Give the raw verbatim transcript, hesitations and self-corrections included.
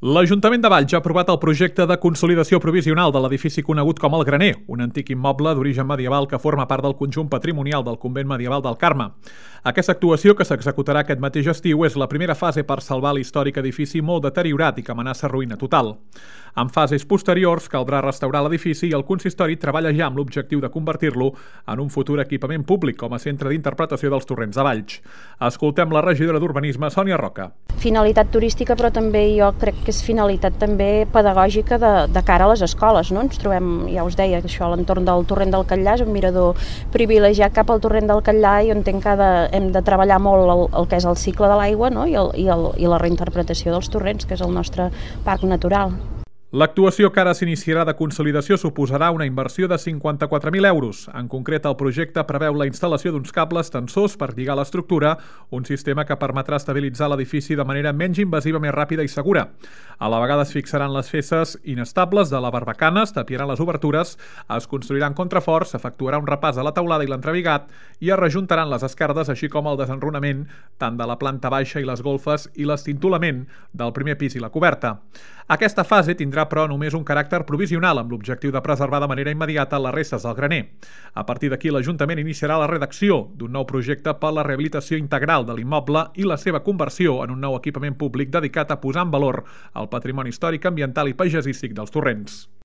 L'Ajuntament de Valls ha aprovat el projecte de consolidació provisional de l'edifici conegut com el Graner, un antic immoble d'origen medieval que forma part del conjunt patrimonial del convent medieval del Carme. Aquesta actuació, que s'executarà aquest mateix estiu, és la primera fase per salvar l'històric edifici molt deteriorat i que amenaça ruïna total. En fases posteriors caldrà restaurar l'edifici i el consistori treballa ja amb l'objectiu de convertir-lo en un futur equipament públic com a centre d'interpretació dels torrents de Valls. Escoltem la regidora d'Urbanisme, Sònia Roca. Finalitat turística, però també jo crec que és finalitat també pedagògica de, de cara a les escoles, no? Ens trobem, ja us deia, això a l'entorn del torrent del Catllà és un mirador privilegiat cap al torrent del Catllà i on entenc que de, hem de treballar molt el, el que és el cicle de l'aigua, no? I, el, i, el, i la reinterpretació dels torrents, que és el nostre parc natural. L'actuació que ara s'iniciarà de consolidació suposarà una inversió de cinquanta-quatre mil euros. En concret, el projecte preveu la instal·lació d'uns cables tensors per lligar l'estructura, un sistema que permetrà estabilitzar l'edifici de manera menys invasiva, més ràpida i segura. A la vegada es fixaran les fesses inestables de la barbacana, es tapiaran les obertures, es construiran contraforts, s'efectuarà un repàs a la teulada i l'entrebigat i es rejuntaran les esquerdes, així com el desenrunament tant de la planta baixa i les golfes i l'estintolament del primer pis i la coberta. Aquesta fase tindrà però només un caràcter provisional amb l'objectiu de preservar de manera immediata les restes del graner. A partir d'aquí, l'Ajuntament iniciarà la redacció d'un nou projecte per la rehabilitació integral de l'immoble i la seva conversió en un nou equipament públic dedicat a posar en valor el patrimoni històric, ambiental i paisatgístic dels torrents.